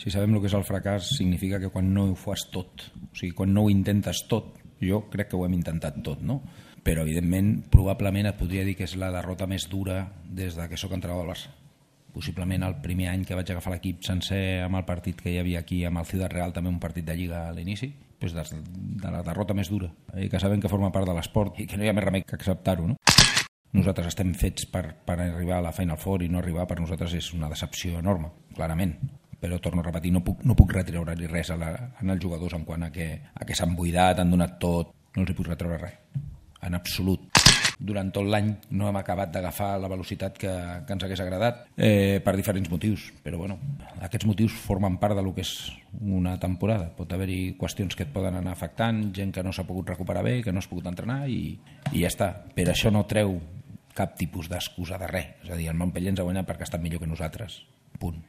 Si sabem el que és el fracàs, significa que quan no ho fas tot, o sigui, quan no ho intentes tot, jo crec que ho hem intentat tot, no? Però, evidentment, probablement et podria dir que és la derrota més dura des que sóc entrenador del Barça. Possiblement el primer any que vaig agafar l'equip sencer amb el partit que hi havia aquí amb el Ciudad Real, també un partit de Lliga a l'inici, doncs de la derrota més dura, que sabem que forma part de l'esport i que no hi ha més remei que acceptar-ho, no? Nosaltres estem fets per arribar a la Final Four i no arribar per nosaltres és una decepció enorme, clarament. Però torno a repetir, no puc retreure-li res als jugadors en quant a que s'han buidat, han donat tot, no els hi puc retreure res, en absolut. Durant tot l'any no hem acabat d'agafar la velocitat que ens hagués agradat per diferents motius, però bueno, aquests motius formen part del que és una temporada. Pot haver-hi qüestions que et poden anar afectant, gent que no s'ha pogut recuperar bé, que no has pogut entrenar i ja està. Però això no treu cap tipus d'excusa de res. És a dir, el Montpellier ens ha guanyat perquè ha estat millor que nosaltres. Punt.